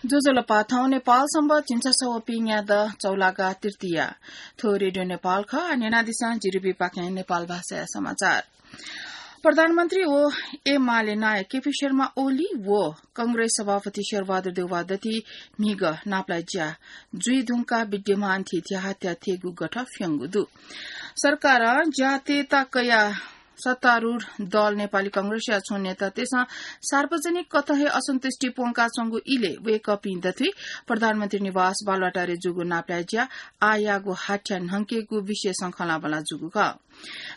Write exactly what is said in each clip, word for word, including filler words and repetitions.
ज्वजलपा, थौं नेपाल संवत् झिंछसः व पिंग्यादँ चौलागा तृतीया। थ्व रेडियो नेपाल खः। न्यनादिसँ जिरिबीपाखें नेपाल भाषाया समाचार। प्रधानमन्त्री व एमाले नायक केपी शर्मा ओली व कंग्रेस सभापति शेरबहादुर देउवा दथुइ म्हिगः नापलाये ज्या जुइ धुंकाः विद्यमान थीथी हत्या थेगु गठः फ्यंगु दु। सरकारं ज्यातय्त कयाः सत्तारूढ दल नेपाली कंग्रेसया छुं नेतातय्सं सार्वजनिक कथं हे असन्तुष्टि प्वंकाच्वंगु इलय् वय्कःपिं दथुइ प्रधानमन्त्री निवास बालुवाटारय् जूगु नापलाये ज्या आःयाःगु हाथ्या न्हंकेगु विशेषं खँल्हाबल्हा जूगु खः।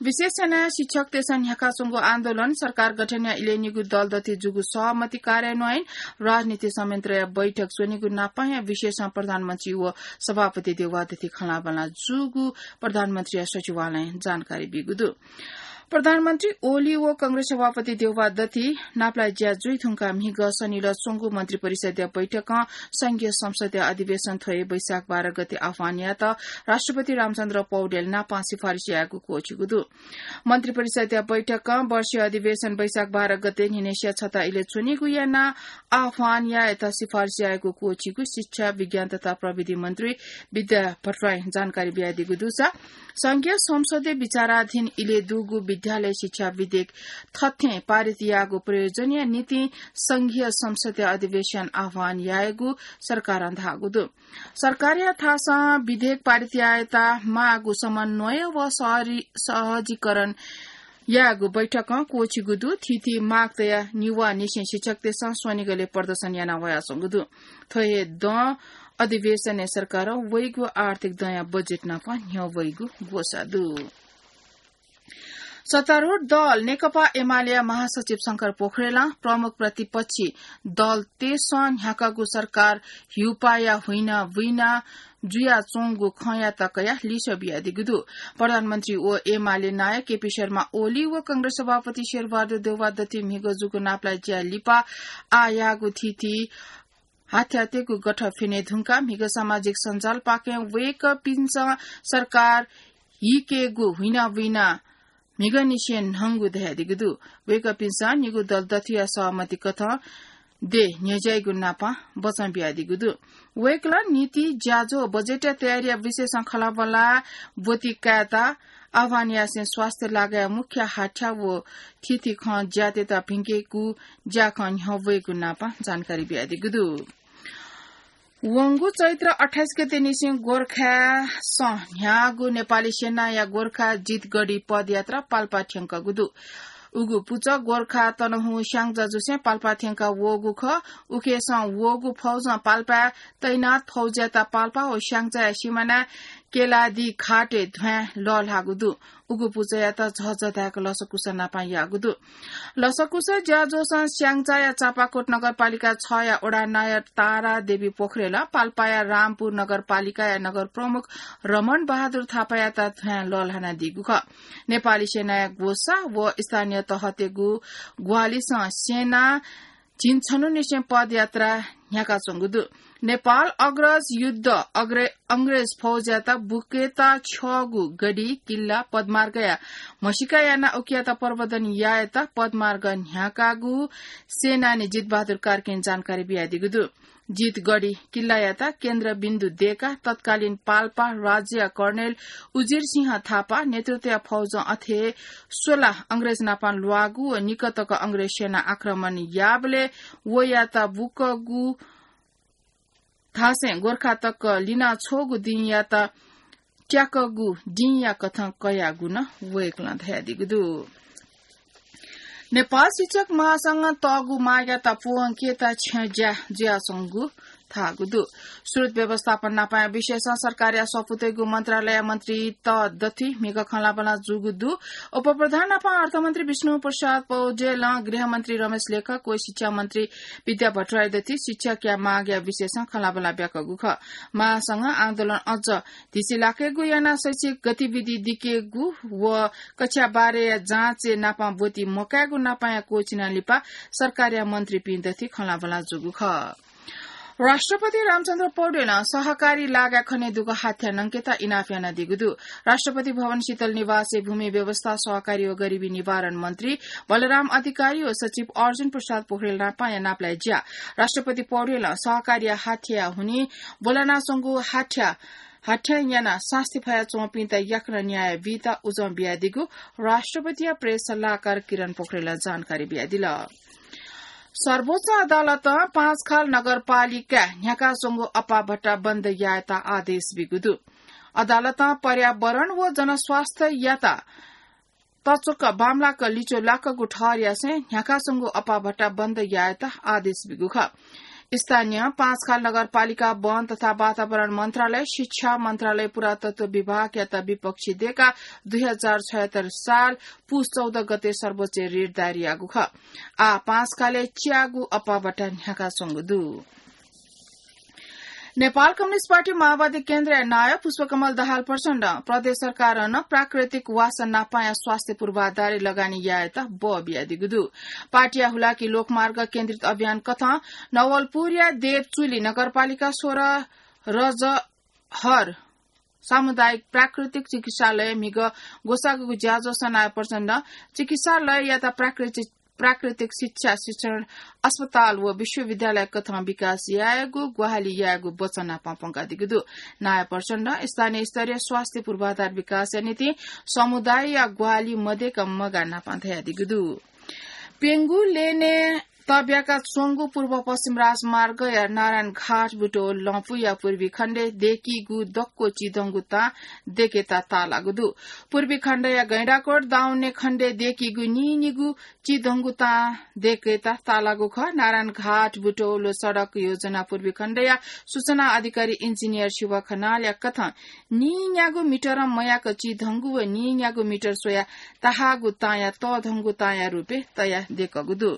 विशेष यानाः शिक्षकतय्सं न्ह्याकाच्वंगु आन्दोलन, सरकार गठनया इलय् निगू दल दथुइ जूगु सहमति कार्यान्वयन, राजनीति संयन्त्रया बैठक च्वनीगु नापंया विशेषं प्रधानमन्त्री व सभापति देउवा दथुइ खँल्हाबल्हा जूगु प्रधानमन्त्रीया सचिवालयं जानकारी ब्यूगु दु। प्रधानमन्त्री ओली व कंग्रेस सभापति देउवा दथुइ नापलाये ज्या जुइ धुंकाः म्हिगः शनिलः च्वंगु मन्त्रिपरिषद्या बैठकं संघीय संसदया अधिवेशन थ्व हे वैशाख बाह्र गते आह्वान यायेत राष्ट्रपति रामचन्द्र पौडेल नापं सिफारिस यायेगु क्वःछिगु दु। मन्त्रिपरिषद्या बैठकं वर्षीय अधिवेशन वैशाख बाह्र गते न्हिनय्सिया छता इलय् च्वनीगु यानाः आह्वान यायेत सिफारिस यायेगु क्वःछिगु शिक्षा, विज्ञान तथा प्रविधि मन्त्री विद्या भट्टराईं जानकारी बियादीगु दुसा संघीय संसदय् विचाराधीन इलय् दुगु विद्यालय शिक्षा विधेयक थथें पारित याःगु प्रयोजनया निंतिं संघीय संसदया अधिवेशन आह्वान यायेगु सरकारं धाःगु दु। सरकारया थासं विधेयक पारित यायेत माःगु समन्वय व सहरी-, सहजीकरण यायेगु बैठकं क्वःछिगु दु। थीथी माग तयाः निवाःनिसें शिक्षकतय्सं स्वनिगलय् प्रदर्शन याना वयाच्वंगु दु। थ्व हे दँ अधिवेशनय् सरकारं वइगु आर्थिक दँया बजेट नाप न्ह्यः वइगु ग्वसाः दु। सत्तारूढ दल नेकपा एमालेया महासचिव शंकर पोखरेलं प्रमुख प्रतिपक्षी दलतय्सं न्ह्याकागु सरकार हिउपाःया हुइना बुइना जुयाच्वंगु खँयात कयाः लिसः बियादीगु दु। प्रधानमन्त्री व एमाले नायक केपी शर्मा ओली व कंग्रेस सभापति शेरबहादुर देउवा दथुइ म्हिगः जूगु नापलाये ज्या लिपा आःयाःगु थीथी हाथ्याःतय्गु गठः फ्यने धुंकाः म्हिगः सामाजिक सञ्जालपाखें वय्कःपिन्सं सरकार हिकेगु हुइना बुइना म्हिगःनिसें न्हंगु धयादीगु दु। वय्कःपिन्सं निगू दल दथुया सहमति कथं देय् न्ह्यज्याइगु नापं बचं बियादीगु दु। वय्कलं नीति, ज्याझ्वः व बजेटया तयारीया विषयसं खँल्हाबल्हा ब्वति कायेत आह्वान यासें स्वास्थ्य लागाया मुख्य हाथ्या व थीथी खँ ज्यातय्त भिंकेगु ज्याखँ न्ह्यः वइगु नापं जानकारी बियादीगु दु। वंगु चैत्र अट्ठाइस गते निसें गोरखासं न्ह्याःगु नेपाली सेनाया गोरखा जितगढी पदयात्रा पाल्पा थ्यंकःगु दु। उगु पुचः गोरखा तनहुँ स्याङ्जा जुसें पाल्पा थ्यंका वःगु खः। उखेसं वःगु फौजं पाल्पाय् तैनात फौजयात पाल्पा व स्याङ्जाया सिमानाय् केलादी घाटय् ध्वाँय् लःल्हाःगु दु। उगु पुचःयात झःझः धाय्क लसकुस नापं याःगु दु। लसकुस ज्याझ्वलय् स्याङ्जाया चापाकोट नगरपालिका छया वडा नायः तारा देवी पोखरेलं पाल्पाया रामपुर नगरपालिकाया नगर प्रमुख रमण बहादुर थापायात ध्वाँय् लःल्हानादीगु खः। नेपाली सेनाया ग्वसाः व स्थानीय तहतय्गु ग्वाहालिसं सेना झिंछन्हुनिसें पदयात्रा न्ह्याकाच्वंगु दु। नेपाल अग्रज युद्ध अग्रे-, अंग्रेज फौजयात बुकेत छ्यःगु गढी, किल्ला, पदमार्गया म्हसीका यानाः उकियात प्रवर्धन यायेत पदमार्ग न्ह्याकागु सेनानी जितबहादुर कार्कीं जानकारी बियादीगु दु। जितगढी किल्लायात केन्द्रबिन्दु दय्काः तत्कालीन पाल्पा राज्यया कर्णेल उजिर सिंह थापा नेतृत्वया फौजं अथे हे स्वला अंग्रेज नापं ल्वाःगु व निकः तक अंग्रेज सेना आक्रमण याःबलय् वयात बुकःगु धासें गोरखा तक लिनाछ्वःगु दिंयात त्याकःगु दिंया कथं कयागु नं वय्कलं धयादीगु दु। नेपाल शिक्षक महासंघं तःगु मागयात पूवंकेत छ्यं ज्या जुयाच्वंगु धाःगु दु। स्रोत व्यवस्थापन नापंया विषयसं सरकारया सफूतय्गु मन्त्रालय मन्त्री त दथुइ म्हिगः खँल्हाबल्हा जूगु दु। उपप्रधान नापं अर्थमन्त्री विष्णु प्रसाद पौडेलं गृहमन्त्री रमेश लेखक व शिक्षा मन्त्री विद्या भट्टराई दथुइ शिक्षकया मागया विषयसं खँल्हाबल्हा ब्याकःगु खः। महासंघं आन्दोलन अझ धिसिलाकेगु यानाः शैक्षिक गतिविधि दिकेगु व कक्षा बाह्रया जाँचय् नापं ब्वति मकायेगु नापंया क्वःछिना लिपा सरकारया मन्त्रीपिं दथुइ खँल्हाबल्हा जूगु खः। राष्ट्रपति रामचन्द्र पौडेलं सहकारी लागा खने दुगु हाथ्या नंकेत इनाप यानादीगु दु। राष्ट्रपति भवन शीतल निवासय् भूमि व्यवस्था, सहकारी व गरिबी निवारण मन्त्री बलराम अधिकारी व सचिव अर्जुन प्रसाद पोखरेल नापं या नापलाये ज्या। राष्ट्रपति पौडेलं सहकारीया हाथ्या हुनि ब्वलनाच्वंगु हाथ्या हाथ्या यानाः सास्ती फयाच्वंपिन्त याकनं न्याय बीत उजं बियादीगु राष्ट्रपतिया प्रेस सल्लाहकार किरण पोखरेलं जानकारी बियादिल। सर्वोच्च अदालतं पाँचखाल नगरपालिका न्ह्याकाच्वंगु अप्पा भट्टा बन्द यायेत आदेश बीगु दु। अदालतं पर्यावरण व जनस्वास्थ्ययात तच्वक बांमलाक लिच्वलाकगु ठहर यासें न्ह्याकाच्वंगु अप्पा भट्टा बन्द यायेत आदेश बीगु खः। स्थानीय पाँचखाल नगरपालिका वन तथा वातावरण मन्त्रालय, शिक्षा मन्त्रालय, पुरातत्व विभागयात विपक्षी देकाः दुई हजार छयत्तर साल पुस चौध गते सर्वोच्चय् रिट दायर याःगु खः। आः पाँचखालय् च्यागू अप्पा भट्टा न्ह्याकाच्वंगु दु। नेपाल कम्युनिस्ट पार्टी माओवादी केन्द्रया नायः पुष्पकमल दाहाल प्रचण्डं प्रदेश सरकारं प्राकृतिक वासः नापांया स्वास्थ्य पूर्वाधारय् लगानी यायेत बः बियादीगु दु। पार्टीया हुलाकी लोकमार्ग केन्द्रित अभियान कथं नवलपुरया देवचुली नगरपालिका सोह्र रजहर सामुदायिक प्राकृतिक चिकित्सालय म्हिगः ग्वसाःगु ज्याझ्वलय् नायः प्रचण्डं चिकित्सालययात प्राकृतिक, प्राकृतिक शिक्षा, शिक्षण, अस्पताल व विश्वविद्यालय कथं विकास यायेगु ग्वाहालि यायेगु वचन नापं प्वंकादीगु दु। नायः प्रचण्डं स्थानीय स्तरीय स्वास्थ्य पूर्वाधार विकासया निंतिं समुदायया ग्वाहालि मदय्क मगाः नापं धयादीगु दु। प्यंगू लेनय् तब्याका च्वंगु पूर्व पश्चिम राजमार्गया नारायणघाट बुटवल लँपुया पूर्वी खण्डय् दय्कीगु दक्व चिधंगु तां दय्केत ताःलाःगु दु। पूर्वी खण्डया गैंडाकोट दाउने खण्डय् दय्कीगु नीनिगू चिधंगु तां दय्केत ताःलाःगु खः। नारायणघाट बुटवल सडक योजना पूर्वी खण्डया सूचना अधिकारी इन्जिनियर शिव खनालया कथं नीन्यागू मिटरं मयाक चिधंगु व नीन्यागू मिटर स्वयाः ताहाःगु तांया तःधंगु तांया रूपय् तयाः दय्कूगु दु।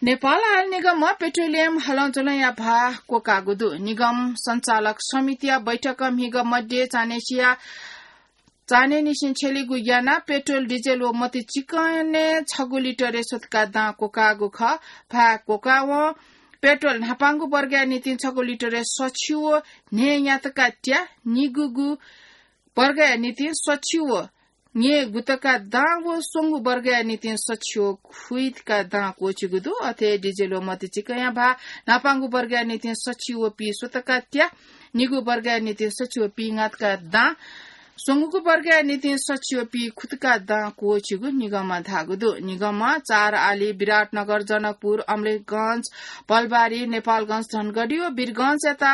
नेपाल आयल निगमं पेट्रोलियम हलंज्वलंया भाः क्वकाःगु दु। निगम सञ्चालक समितिया बैठकं म्हिगः मध्ये चान्हय्सिया, चान्हय्निसें छ्यलीगु यानाः पेट्रोल, डिजेल व मतिचिकनय् छगू लिटरय् स्वतका दां क्वकाःगु खः। भाः क्वकावं पेट्रोल न्हापांगु वर्गया निंतिं छगू लिटरय् सछि व न्हय्न्यातका त्या, निगूगु वर्गया निंतिं सछि व न्हय्गुतका दां व स्वंगू वर्गया निंतिं सछि व खुइतका दां क्वःछिगु दु। अथे डिजेल व मतिचिकनया भाः न्हापांगु वर्गया निंतिं सछि व पीस्वतका त्या, निगू वर्गया निंतिं सछि व पींगातका दां, स्वंगूगु वर्गया निंतिं सछि व पीखुतका दां क्वःछिगु निगमं धाःगु दु। निगमं चार आली, विराटनगर, जनकपुर, अमलेखगंज, भलबारी, नेपालगंज, धनगढी व वीरगंजयात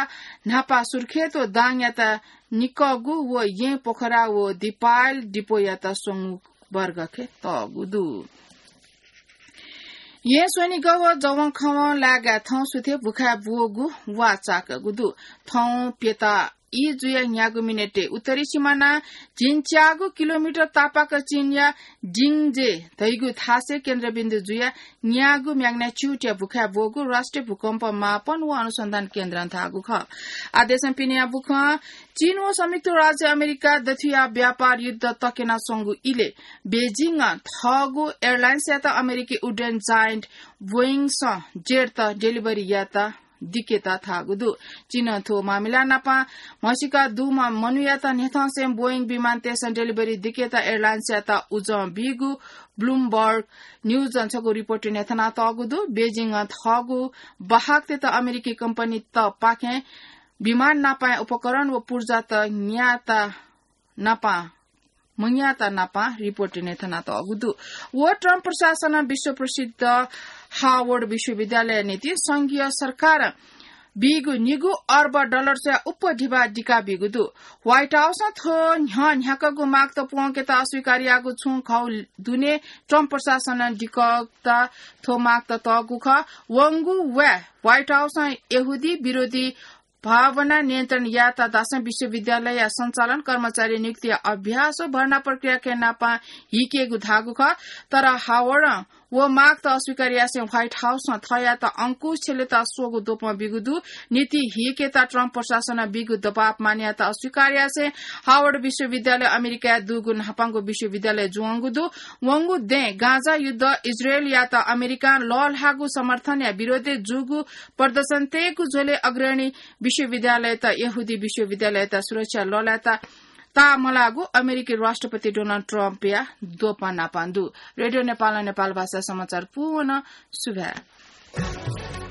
न्हापा सुर्खेत व दाङयात निकःगु व येँ पोखरा व दिपायल डिपोयात स्वंगू वर्गखे तःगु दु। येँ स्वनिगः व जवंखवं लाय्गाय् थौं सुथय् भुखाय् ब्वःगु वा चाकःगु दु। थौं प्यता ई जुया न्यागू मिनेटय् उत्तरी सिमानां झिंच्यागू किलोमिटर तापाक चीनया जिङजे धइगु थासय् केन्द्रबिन्दु जुया न्यागू magnitude-या भुखाय् ब्वःगु राष्ट्रिय भूकम्प मापन व अनुसन्धान केन्द्रं धाःगु खः। आदेशं पिनेया भूकम्पं चीन व संयुक्त राज्य अमेरिका दथुया व्यापार युद्ध तक्यनाच्वंगु इलय् बेजिङं थःगु airlines-यात अमेरिकी उड्डयन giant Boeing seven hundred delivery यायेत दिकेत धाःगु दु। चीनं थ्व मामिला नाप म्हसीका दुम्ह मनूयात न्ह्यथंसें Boeing विमानतय्सं delivery दिकेत airlines-यात उजं बीगु Bloomberg News-ं छगू report न्ह्यथनातःगु दु। बेजिङं थःगु बाहकतय्त अमेरिकी कम्पनीतपाखें विमान नापया उपकरण व पुर्जात न्यायेत नापं मन्यायेत नापं report न्ह्यथनातःगु दु। व ट्रम्प प्रशासनं विश्व प्रसिद्ध हार्वर्ड विश्वविद्यालयया निंतिं संघीय सरकारं बीगु निगू अर्ब डलर स्वयाः उप्वः धिबा दिकाबीगु दु। White House-ं थ्व न्ह्यः न्ह्याकागु मागत प्वंकेत अस्वीकार याःगु छुं घौ दुने ट्रम्प प्रशासनं दिकागु थ्व मागत तःगु खः। वंगु वाय् White House-ं यहूदी विरोधी भावना नियन्त्रण यायेत धासें विश्वविद्यालयया सञ्चालन, कर्मचारी नियुक्तिया अभ्यास व भर्ना प्रक्रियाके नापं हिकेगु धाःगु खः। तर हार्वर्डं व मागत अस्वीकार यासें व्हाइट हाउसं थःयात अंकुश छ्यलेत स्वःगु द्वपं बिगु दु। नीति हीकेत ट्रम्प प्रशासनं बिगु दबाब मानयात अस्वीकार यासें हावर्ड विश्वविद्यालय अमेरिकाय् दुगु न्हापांगु विश्वविद्यालय जुवंगु दु। वंगु दँय् गाजा युद्ध, इजरायलयात अमेरिकां लःल्हाःगु समर्थनया विरोधय् जूगु प्रदर्शन तयेगु झ्वलय् अग्रणी विश्वविद्यालयत यहूदी विश्वविद्यालयत सुरक्षा लःल्हायेत ताःमलाःगु अमेरिकी राष्ट्रपति डोनाल्ड ट्रम्पया द्वपं नापं दु। रेडियो नेपालं नेपाल भाषा समाचार पूवन सुभाय्।